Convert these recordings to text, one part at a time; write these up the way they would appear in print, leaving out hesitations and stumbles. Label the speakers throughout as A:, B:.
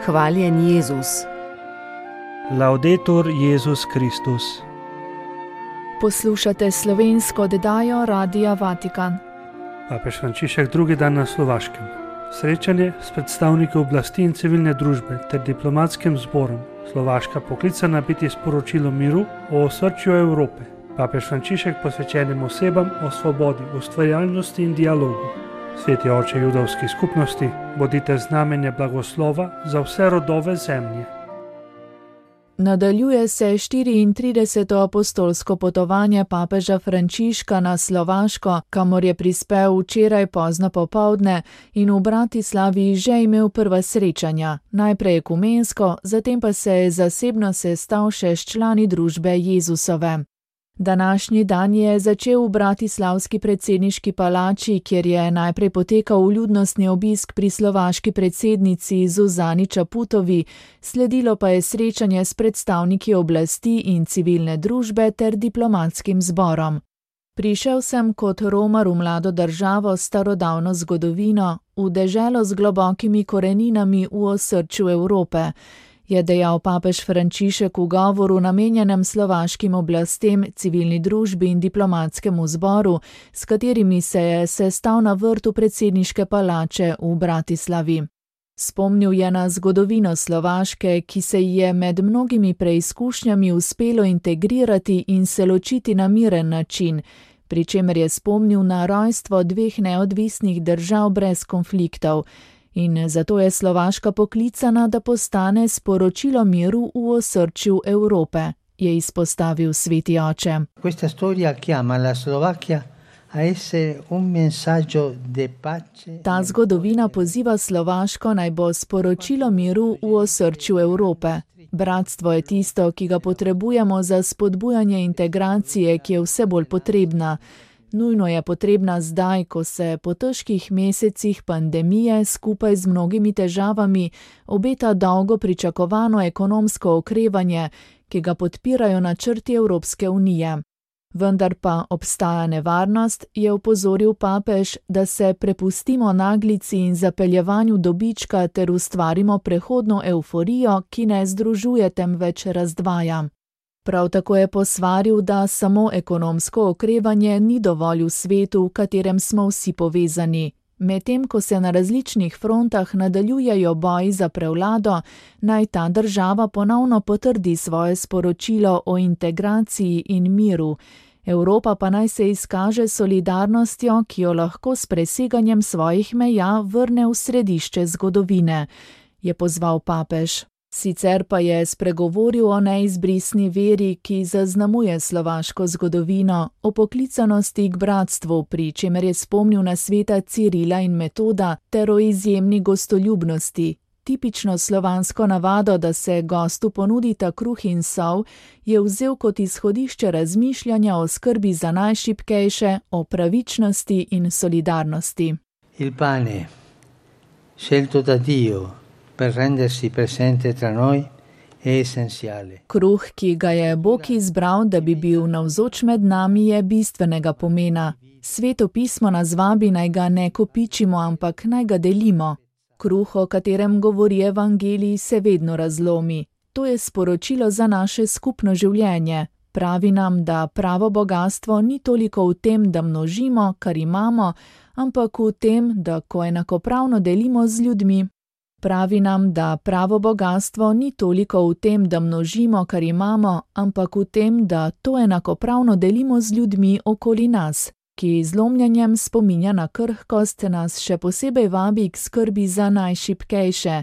A: Hvaljen Jezus.
B: Laudetur Jezus Kristus.
C: Poslušate slovensko oddajo Radia Vatikan.
B: Papež Frančišek drugi dan na Slovaškem. Srečanje s predstavniki oblasti in civilne družbe ter diplomatskim zborom. Slovaška poklicana biti sporočilo miru o osrčju Evrope. Papež Frančišek posvečenim osebam o svobodi, ustvarjalnosti in dialogu. Sveti oče judovskih skupnosti, bodite znamenje blagoslova za vse rodove zemlje.
C: Nadaljuje se 34. apostolsko potovanje papeža Frančiška na Slovaško, kamor je prispel včeraj pozno popoldne in v Bratislavi že imel prva srečanja, najprej ekumensko, zatem pa se je zasebno sestal še s člani družbe Jezusove. Današnji dan je začel v bratislavski predsedniški palači, kjer je najprej potekal vljudnostni obisk pri slovaški predsednici Zuzani Čaputovi, sledilo pa je srečanje s predstavniki oblasti in civilne družbe ter diplomatskim zborom. Prišel sem kot Romar v mlado državo s starodavno zgodovino, v deželo z globokimi koreninami v osrčju Evrope, je dejal papež Frančišek v govoru namenjenem slovaškim oblastem, civilni družbi in diplomatskemu zboru, s katerimi se je sestal na vrtu predsedniške palače v Bratislavi. Spomnil je na zgodovino Slovaške, ki se ji je med mnogimi preizkušnjami uspelo integrirati in se ločiti na miren način, pri čemer je spomnil na rojstvo dveh neodvisnih držav brez konfliktov, in zato je Slovaška poklicana, da postane sporočilo miru v osrčju Evrope, je izpostavil sveti oče.
D: Questa storia chiama la Slovacchia a essere un messaggio de pace.
C: Ta zgodovina poziva Slovaško naj bo sporočilo miru v osrčju Evrope. Bratstvo je tisto, ki ga potrebujemo za spodbujanje integracije, ki je vse bolj potrebna. Nujno je potrebna zdaj, ko se po težkih mesecih pandemije skupaj z mnogimi težavami obeta dolgo pričakovano ekonomsko okrevanje, ki ga podpirajo načrti Evropske unije. Vendar pa obstaja nevarnost, je opozoril papež, da se prepustimo naglici in zapeljevanju dobička ter ustvarimo prehodno evforijo, ki ne združuje, temveč razdvaja. Prav tako je posvaril, da samo ekonomsko okrevanje ni dovolj v svetu, v katerem smo vsi povezani. Medtem ko se na različnih frontah nadaljujejo boji za prevlado, naj ta država ponovno potrdi svoje sporočilo o integraciji in miru. Evropa pa naj se izkaže solidarnostjo, ki jo lahko s preseganjem svojih meja vrne v središče zgodovine, je pozval papež. Sicer pa je spregovoril o neizbrisni veri, ki zaznamuje slovaško zgodovino, o poklicanosti k bratstvu, pri čemer je spomnil na sveta Cirila in Metoda, ter o izjemni gostoljubnosti. Tipično slovansko navado, da se gostu ponudita kruh in sol, je vzel kot izhodišče razmišljanja o skrbi za najšibkejše, o pravičnosti in solidarnosti.
D: Il pane, scelto da Dio, per rendersi presente tra noi, è essenziale.
C: Kruh, ki ga je Bog izbral, da bi bil navzoč med nami, je bistvenega pomena. Sveto pismo nas vabi, naj ga ne kopičimo, ampak naj ga delimo. Kruh, o katerem govori evangelij, se vedno razlomi. To je sporočilo za naše skupno življenje. Pravi nam, da pravo bogastvo ni toliko v tem, da množimo, kar imamo, ampak v tem, da ko enakopravno delimo z ljudmi. Pravi nam, da pravo bogastvo ni toliko v tem, da množimo, kar imamo, ampak v tem, da to enakopravno delimo z ljudmi okoli nas, ki z lomljenjem spominja na krhkost nas še posebej vabi k skrbi za najšibkejše.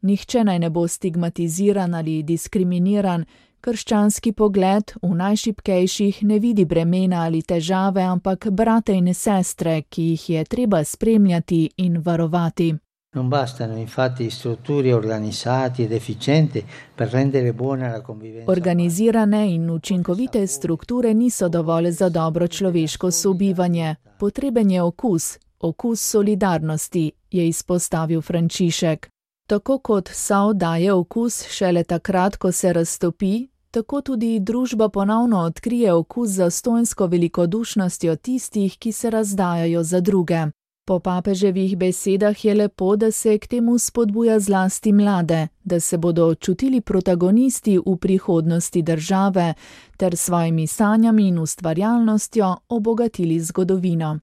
C: Nihče naj ne bo stigmatiziran ali diskriminiran, krščanski pogled v najšibkejših ne vidi bremena ali težave, ampak brate in sestre, ki jih je treba spremljati in varovati.
D: Non bastano infatti strutture organizzate ed efficienti per rendere buona la convivenza.
C: Organizirane in učinkovite strukture niso dovolj za dobro človeško sobivanje. Potreben je okus solidarnosti, je izpostavil Frančišek. Tako kot sol daje okus šele takrat, ko se raztopi, tako tudi družba ponovno odkrije okus za zastonjsko velikodušnostjo tistih, ki se razdajajo za druge. Po papeževih besedah je lepo, da se k temu spodbuja zlasti mlade, da se bodo čutili protagonisti v prihodnosti države ter svojimi sanjami in ustvarjalnostjo obogatili zgodovino.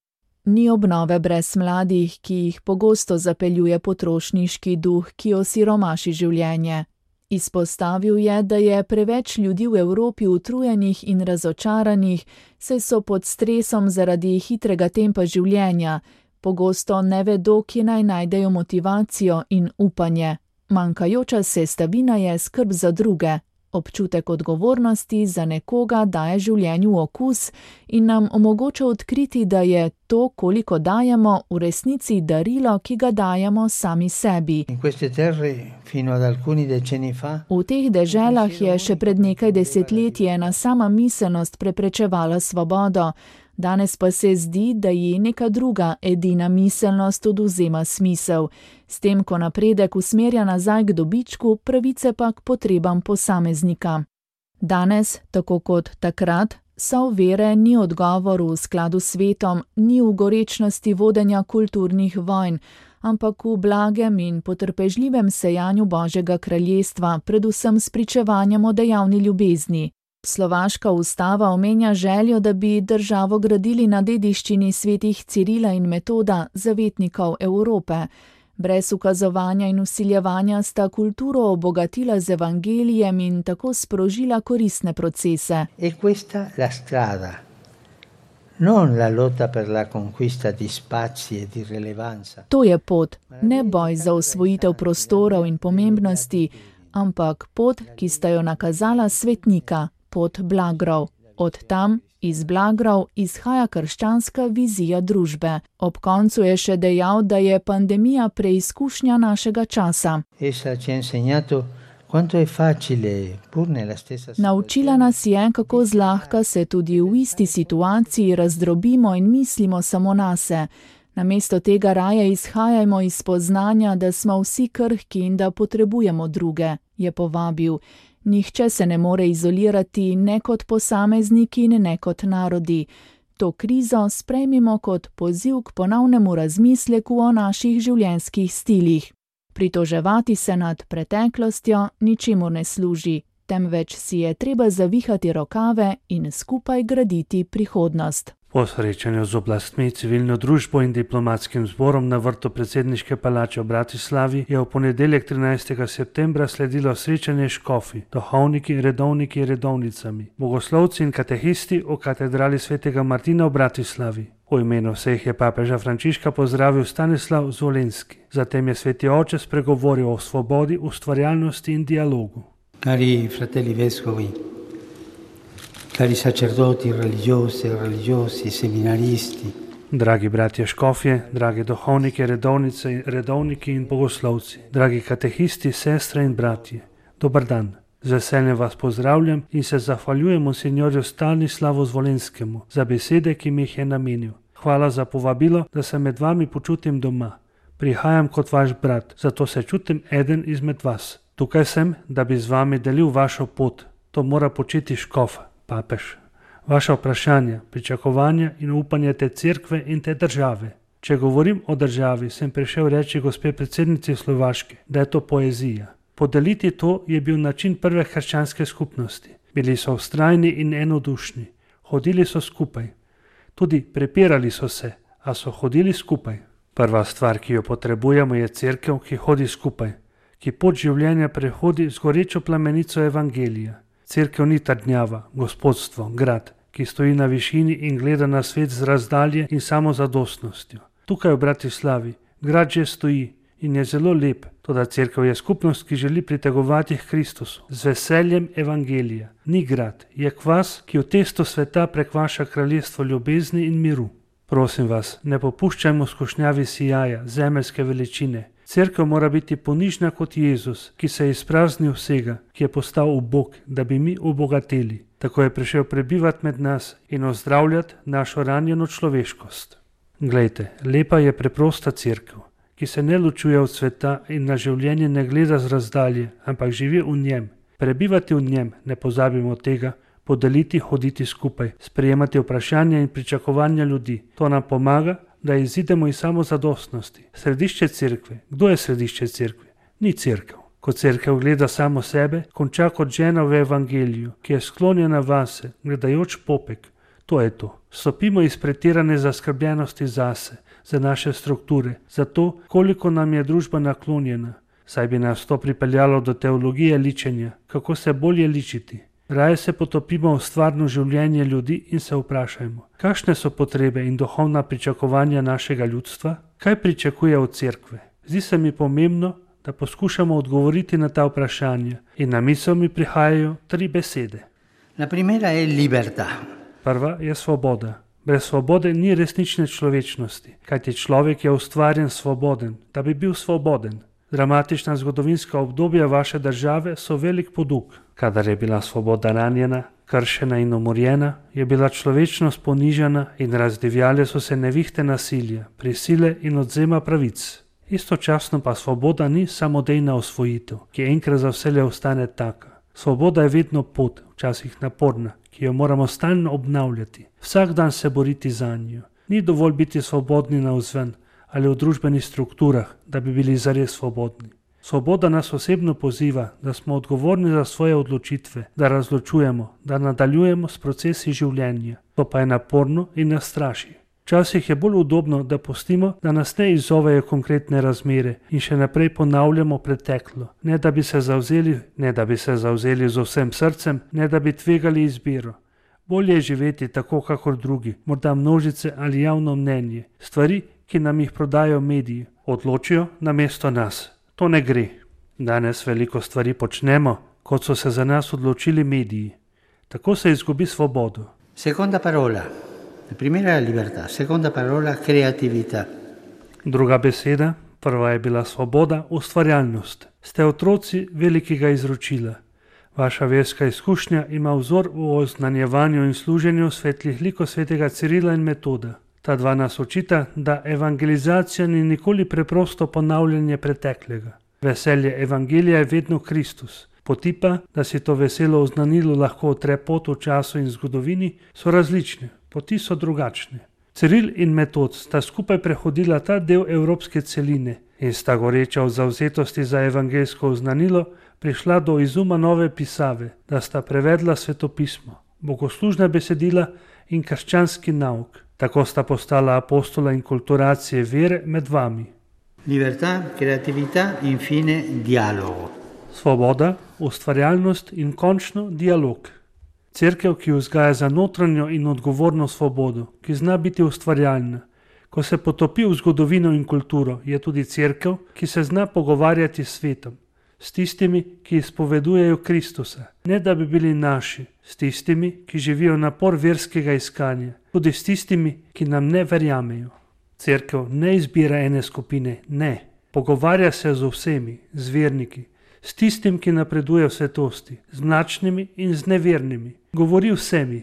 C: Ni obnove brez mladih, ki jih pogosto zapeljuje potrošniški duh, ki osiromaši življenje. Izpostavil je, da je preveč ljudi v Evropi utrujenih in razočaranih, saj so pod stresom zaradi hitrega tempa življenja, pogosto ne vedo, kje naj najdejo motivacijo in upanje. Manjkajoča sestavina je skrb za druge. Občutek odgovornosti za nekoga daje življenju okus in nam omogoča odkriti, da je to, koliko dajemo, v resnici darilo, ki ga dajemo sami sebi. V teh deželah je še pred nekaj desetletji ena sama miselnost preprečevala svobodo, danes pa se zdi, da ji neka druga, edina miselnost odvzema smisel, s tem, ko napredek usmerja nazaj k dobičku, pravice pa k potrebam posameznika. Danes, tako kot takrat, sol vere ni odgovor v skladu s svetom, ni v gorečnosti vodenja kulturnih vojn, ampak v blagem in potrpežljivem sejanju Božjega kraljestva, predvsem s pričevanjem o dejavni ljubezni. Slovaška ustava omenja željo, da bi državo gradili na dediščini svetih Cirila in Metoda, zavetnikov Evrope. Brez ukazovanja in vsiljevanja sta kulturo obogatila z evangelijem in tako sprožila koristne procese.
D: E questa la strada, non la lotta per la conquista di spazi e di rilevanza.
C: To je pot, ne boj za osvojitev prostorov in pomembnosti, ampak pot, ki sta jo nakazala svetnika, pot blagrov. Od tam, iz blagrov, izhaja krščanska vizija družbe. Ob koncu je še dejal, da je pandemija preizkušnja našega časa. Naučila nas je, kako zlahka se tudi v isti situaciji razdrobimo in mislimo samo nase. Namesto tega raje izhajajmo iz spoznanja, da smo vsi krhki in da potrebujemo druge, je povabil. Nihče se ne more izolirati ne kot posamezniki, ne kot narodi. To krizo sprejmimo kot poziv k ponovnemu razmisleku o naših življenjskih stilih. Pritoževati se nad preteklostjo ničemur ne služi, temveč si je treba zavihati rokave in skupaj graditi prihodnost.
B: Po srečanju z oblastmi, civilno družbo in diplomatskim zborom na vrtu predsedniške palače v Bratislavi je v ponedeljek 13. septembra sledilo srečanje škofi, duhovniki, redovniki in redovnicami, bogoslovci in katehisti v katedrali svetega Martina v Bratislavi. V imenu vseh je papeža Frančiška pozdravil Stanislav Zvolenski. Zatem je sveti oče spregovoril o svobodi, ustvarjalnosti in dialogu.
D: Cari fratelli vescovi, cari sacerdoti, religiosi, seminaristi.
B: Dragi bratje škofje, dragi duhovniki, redovnice, redovniki in bogoslovci, dragi katehisti, sestre in bratje, dober dan. Z veseljem vas pozdravljam in se zahvaljujem monsinjorju Stanislavu Zvolenskemu za besede, ki mi jih je namenil. Hvala za povabilo, da se med vami počutim doma. Prihajam kot vaš brat, zato se čutim eden izmed vas. Tukaj sem, da bi z vami delil vašo pot. To mora početi škof, papež. Vaša vprašanja, pričakovanja in upanje te cerkve in te države. Če govorim o državi, sem prišel reči gospe predsednici Slovaške, da je to poezija. Podeliti to je bil način prve hrščanske skupnosti. Bili so vztrajni in enodušni. Hodili so skupaj. Tudi prepirali so se, a so hodili skupaj. Prva stvar, ki jo potrebujemo, je cerkev, ki hodi skupaj, ki pot življenja prehodi z gorečo plamenico evangelija. Cerkev ni trdnjava, gospodstvo, grad, ki stoji na višini in gleda na svet z razdalje in samozadostnostjo. Tukaj v Bratislavi grad že stoji in je zelo lep, toda cerkev je skupnost, ki želi pritegovati k Kristusu z veseljem evangelija. Ni grad, je kvas, ki v testo sveta prekvaša kraljestvo ljubezni in miru. Prosim vas, ne popuščajmo skušnjavi sijaja, zemeljske veličine. Cerkev mora biti ponižna kot Jezus, ki se je izpraznil vsega, ki je postal ubog, da bi mi obogateli. Tako je prišel prebivati med nas in ozdravljati našo ranjeno človeškost. Glejte, lepa je preprosta cerkev, ki se ne ločuje od sveta in na življenje ne gleda z razdalje, ampak živi v njem. Prebivati v njem, ne pozabimo tega, podeliti, hoditi skupaj, sprejemati vprašanja in pričakovanja ljudi. To nam pomaga, da izidemo iz samozadostnosti. Središče cerkve. Kdo je središče cerkve? Ni cerkev. Ko cerkev gleda samo sebe, konča kot žena v evangeliju, ki je sklonjena vase, gledajoč popek. To je to. Stopimo iz pretirane zaskrbljenosti zase, za naše strukture, za to, koliko nam je družba naklonjena. Saj bi nas to pripeljalo do teologije ličenja, kako se bolje ličiti. Raje se potopimo v stvarno življenje ljudi in se vprašajmo, kakšne so potrebe in duhovna pričakovanja našega ljudstva, kaj pričakuje od cerkve. Zdi se mi pomembno, da poskušamo odgovoriti na ta vprašanja in na misel mi prihajajo 3 besede.
D: La primera è libertà.
B: Prva je svoboda. Brez svobode ni resnične človečnosti, kajti človek je ustvarjen svoboden, da bi bil svoboden. Dramatična zgodovinska obdobja vaše države so velik poduk. Kadar je bila svoboda ranjena, kršena in umorjena, je bila človečnost ponižana in razdivjale so se nevihte nasilja, prisile in odzema pravic. Istočasno pa svoboda ni samodejna osvojitev, ki enkrat za vselej ostane taka. Svoboda je vedno pot, včasih naporna, ki jo moramo stalno obnavljati, vsak dan se boriti za njo. Ni dovolj biti svobodni navzven ali v družbenih strukturah, da bi bili zares svobodni. Svoboda nas osebno poziva, da smo odgovorni za svoje odločitve, da razločujemo, da nadaljujemo s procesi življenja. To pa je naporno in nas straši. Včasih je bolj udobno, da pustimo, da nas ne izzovejo konkretne razmere in še naprej ponavljamo preteklo, ne da bi se zavzeli z vsem srcem, ne da bi tvegali izbiro. Bolje je živeti tako kakor drugi, morda množice ali javno mnenje, stvari, ki nam jih prodajo mediji, odločijo namesto nas. To ne gre. Danes veliko stvari počnemo, kot so se za nas odločili mediji. Tako se izgubi svobodo.
D: Seconda parola. La primera è libertà, seconda parola creatività.
B: Druga beseda, prva je bila svoboda, ustvarjalnost. Ste otroci velikega izročila. Vaša verska izkušnja ima vzor v oznanjevanju in služenju svetlih likov svetega Cirila in Metoda. Ta dva nas učita, da evangelizacija ni nikoli preprosto ponavljanje preteklega. Veselje evangelija je vedno Kristus. Poti pa, da si to veselo oznanilo lahko otre pot v času in zgodovini, so različne. Poti so drugačne. Ciril in Metod sta skupaj prehodila ta del evropske celine in sta goreča v zavzetosti za evangeljsko oznanilo prišla do izuma nove pisave, da sta prevedla svetopismo, bogoslužna besedila in krščanski nauk. Tako sta postala apostola inkulturacije vere med vami.
D: Libertà, creatività, infine dialogo.
B: Svoboda, ustvarjalnost in končno dialog. Cerkev, ki vzgaja za notranjo in odgovorno svobodo, ki zna biti ustvarjalna. Ko se potopi v zgodovino in kulturo, je tudi cerkev, ki se zna pogovarjati s svetom, s tistimi, ki izpovedujejo Kristusa, ne da bi bili naši, s tistimi, ki živijo napor verskega iskanja, tudi s tistimi, ki nam ne verjamejo. Cerkev ne izbira ene skupine, ne. Pogovarja se z vsemi, z verniki, s tistim, ki napreduje v svetosti, z mlačnimi in z nevernimi. Govori vsemi.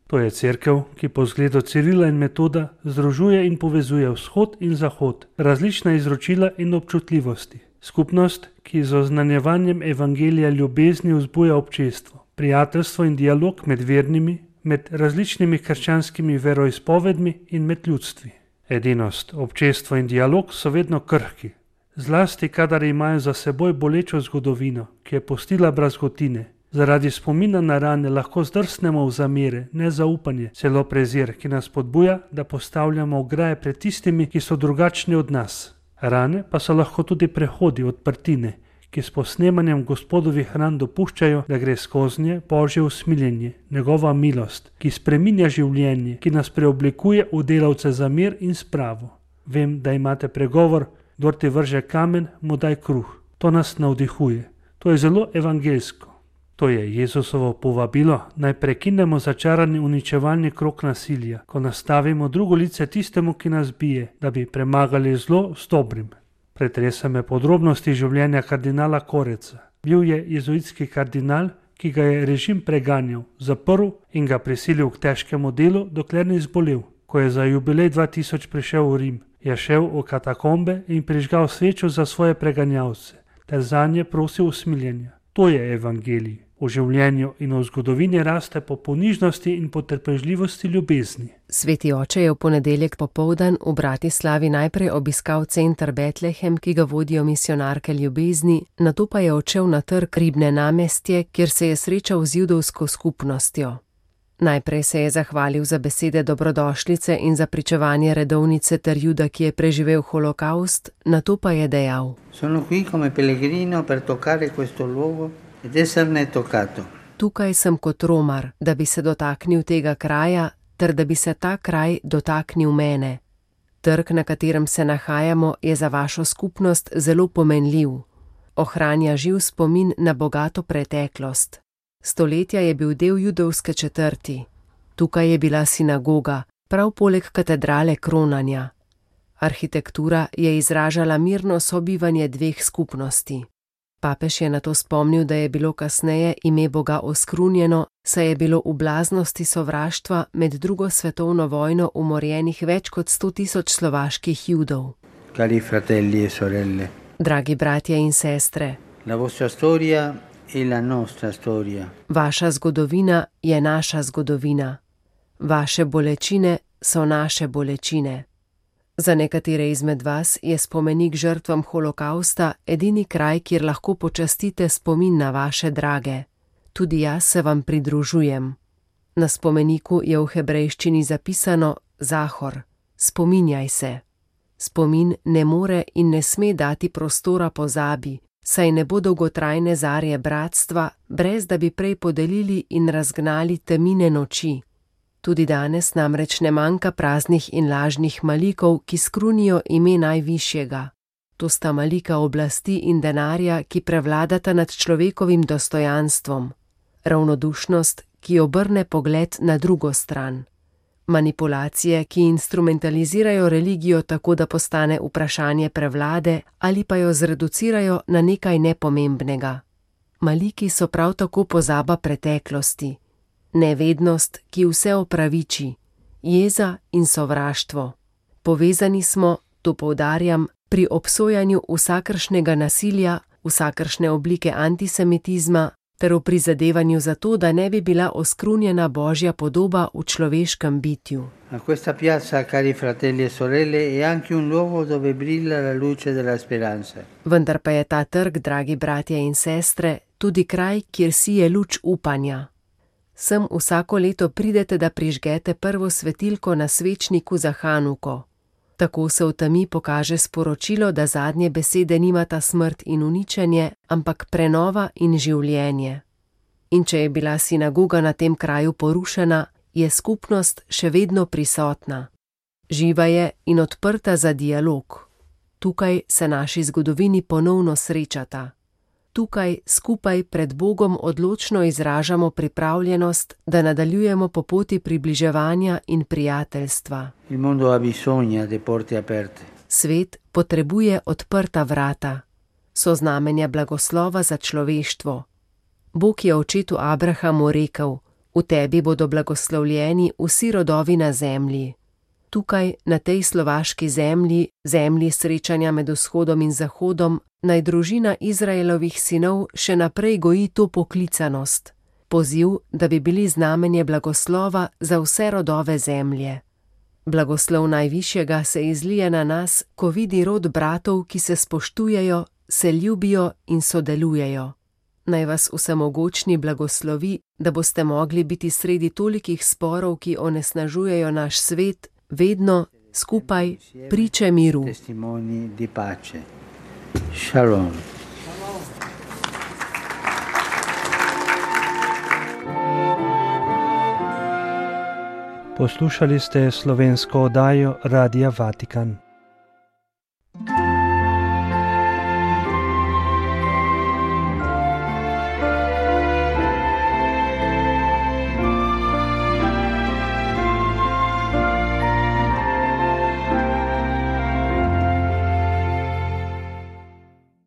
B: To je cerkev, ki po zgledu Cirila in Metoda združuje in povezuje vzhod in zahod, različna izročila in občutljivosti. Skupnost, ki z oznanjevanjem evangelija ljubezni vzbuja občestvo, prijateljstvo in dialog med vernimi, med različnimi krščanskimi veroizpovedmi in med ljudstvi. Edinost, občestvo in dialog so vedno krhki, zlasti kadar imajo za seboj bolečo zgodovino, ki je pustila brazgotine. Zaradi spomina na rane lahko zdrsnemo v zamere, nezaupanje, celo prezir, ki nas podbuja, da postavljamo ograje pred tistimi, ki so drugačni od nas. Rane pa so lahko tudi prehodi, odprtine, ki s posnemanjem Gospodovih ran dopuščajo, da gre skoznje Božje usmiljenje, njegova milost, ki spreminja življenje, ki nas preoblikuje v delavce za mir in spravo. Vem, da imate pregovor, kdor ti vrže kamen, mu daj kruh. To nas navdihuje. To je zelo evangeljsko. To je Jezusovo povabilo, naj prekinemo začarani uničevalni krog nasilja, ko nastavimo drugo lice tistemu, ki nas bije, da bi premagali zlo s dobrim. Pretresa me podrobnosti življenja kardinala Koreca. Bil je jezuitski kardinal, ki ga je režim preganjal, zaprl in ga prisilil k težkemu delu, dokler ni zbolel. Ko je za jubilej 2000 prišel v Rim, je šel v katakombe in prižgal svečo za svoje preganjalce, ter zanje prosil usmiljenja. To je evangelij. V življenju in v zgodovini raste po ponižnosti in potrpežljivosti ljubezni.
A: Sveti oče je v ponedeljek popoldan v Bratislavi najprej obiskal center Betlehem, ki ga vodijo misijonarke ljubezni, nato pa je odšel na trg Ribne namestje, kjer se je srečal z judovsko skupnostjo. Najprej se je zahvalil za besede dobrodošlice in za pričevanje redovnice ter Juda, ki je preživel holokaust, nato pa je dejal:
D: Sono qui come pellegrino per toccare questo luogo ed esserne toccato.
A: Tukaj sem kot romar, da bi se dotaknil tega kraja, ter da bi se ta kraj dotaknil mene. Trg, na katerem se nahajamo, je za vašo skupnost zelo pomenljiv. Ohranja živ spomin na bogato preteklost. Stoletja je bil del judovske četrti. Tukaj je bila sinagoga, prav poleg katedrale kronanja. Arhitektura je izražala mirno sobivanje dveh skupnosti. Papež je nato spomnil, da je bilo kasneje ime Boga oskrunjeno, saj je bilo v blaznosti sovraštva med drugo svetovno vojno umorjenih več kot 100.000 slovaških Judov.
D: Cari fratelli e sorelle,
A: Dragi bratje in sestre,
D: la vostra storia è la nostra storia.
A: vaša zgodovina je naša zgodovina. Vaše bolečine so naše bolečine. Za nekatere izmed vas je spomenik žrtvam holokausta edini kraj, kjer lahko počastite spomin na vaše drage. Tudi jaz se vam pridružujem. Na spomeniku je v hebrejščini zapisano Zahor, spominjaj se. Spomin ne more in ne sme dati prostora pozabi, saj ne bo dolgotrajne zarje bratstva, brez da bi prej podelili in razgnali temine noči. Tudi danes namreč ne manjka praznih in lažnih malikov, ki skrunijo ime najvišjega. To sta malika oblasti in denarja, ki prevladata nad človekovim dostojanstvom. Ravnodušnost, ki obrne pogled na drugo stran. Manipulacije, ki instrumentalizirajo religijo tako, da postane vprašanje prevlade ali pa jo zreducirajo na nekaj nepomembnega. Maliki so prav tako pozaba preteklosti. Nevednost, ki vse opraviči, jeza in sovraštvo. Povezani smo, to poudarjam, pri obsojanju vsakršnega nasilja, vsakršne oblike antisemitizma, ter v prizadevanju za to, da ne bi bila oskrunjena Božja podoba v človeškem bitju.
D: A questa piazza, cari fratelli e sorelle, è anche un luogo dove brilla la luce della speranza.
A: Vendar pa je ta trg, dragi bratje in sestre, tudi kraj, kjer sije luč upanja. Sem vsako leto pridete, da prižgete prvo svetilko na svečniku za Hanuko. Tako se v temi pokaže sporočilo, da zadnje besede nimata smrt in uničenje, ampak prenova in življenje. In če je bila sinagoga na tem kraju porušena, je skupnost še vedno prisotna. Živa je in odprta za dialog. Tukaj se naši zgodovini ponovno srečata. Tukaj skupaj pred Bogom odločno izražamo pripravljenost, da nadaljujemo po poti približevanja in prijateljstva.
D: Il mondo ha bisogno di porte aperte.
A: Svet potrebuje odprta vrata. So znamenja blagoslova za človeštvo. Bog je očetu Abrahamu rekel: v tebi bodo blagoslovljeni vsi rodovi na zemlji. Tukaj, na tej slovaški zemlji, zemlji srečanja med vzhodom in zahodom, naj družina Izraelovih sinov še naprej goji to poklicanost. Poziv, da bi bili znamenje blagoslova za vse rodove zemlje. Blagoslov najvišjega se izlije na nas, ko vidi rod bratov, ki se spoštujejo, se ljubijo in sodelujejo. Naj vas vsemogočni blagoslovi, da boste mogli biti sredi tolikih sporov, ki onesnažujejo naš svet, vedno skupaj priče miru.
D: Testimoni di pace. Shalom.
B: Poslušali ste slovensko oddajo Radia Vatikan.